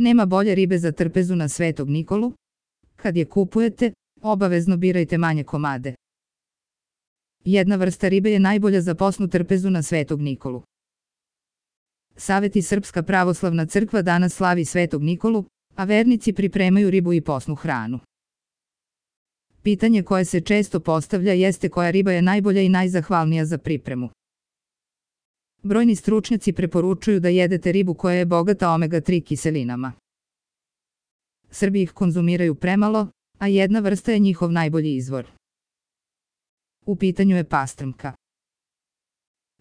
Nema bolje ribe za trpezu na Svetog Nikolu. Kad je kupujete, obavezno birajte manje komade. Jedna vrsta ribe je najbolja za posnu trpezu na Svetog Nikolu. Saveti Srpska pravoslavna crkva danas slavi Svetog Nikolu, a vernici pripremaju ribu i posnu hranu. Pitanje koje se često postavlja jeste koja riba je najbolja i najzahvalnija za pripremu. Brojni stručnjaci preporučuju da jedete ribu koja je bogata omega-3 kiselinama. Srbi ih konzumiraju premalo, a jedna vrsta je njihov najbolji izvor. U pitanju je pastrmka.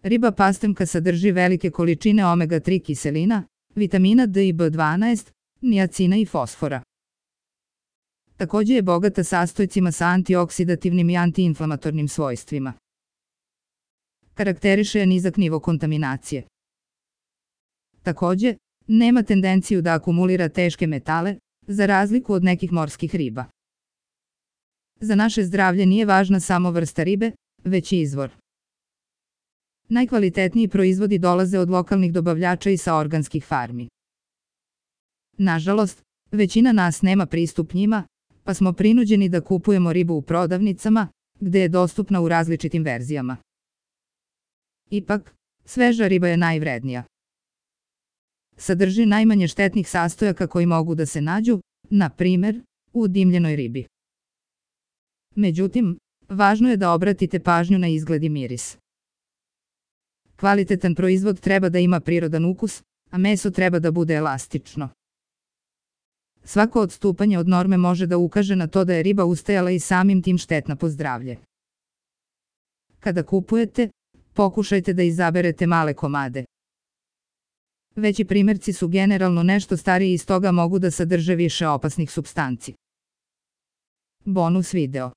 Riba pastrmka sadrži velike količine omega-3 kiselina, vitamina D i B12, niacina i fosfora. Takođe je bogata sastojcima sa antioksidativnim i antiinflamatornim svojstvima. Karakteriše je nizak nivo kontaminacije. Takođe, nema tendenciju da akumulira teške metale, za razliku od nekih morskih riba. Za naše zdravlje nije važna samo vrsta ribe, već i izvor. Najkvalitetniji proizvodi dolaze od lokalnih dobavljača i sa organskih farmi. Nažalost, većina nas nema pristup njima, pa smo prinuđeni da kupujemo ribu u prodavnicama, gde je dostupna u različitim verzijama. Ipak, sveža riba je najvrednija. Sadrži najmanje štetnih sastojaka koji mogu da se nađu, na primer, u dimljenoj ribi. Međutim, važno je da obratite pažnju na izgled i miris. Kvalitetan proizvod treba da ima prirodan ukus, a meso treba da bude elastično. Svako odstupanje od norme može da ukaže na to da je riba ustajala i samim tim štetna po zdravlje. Kada kupujete, pokušajte da izaberete male komade. Veći primerci su generalno nešto stariji i stoga mogu da sadrže više opasnih supstanci. Bonus video.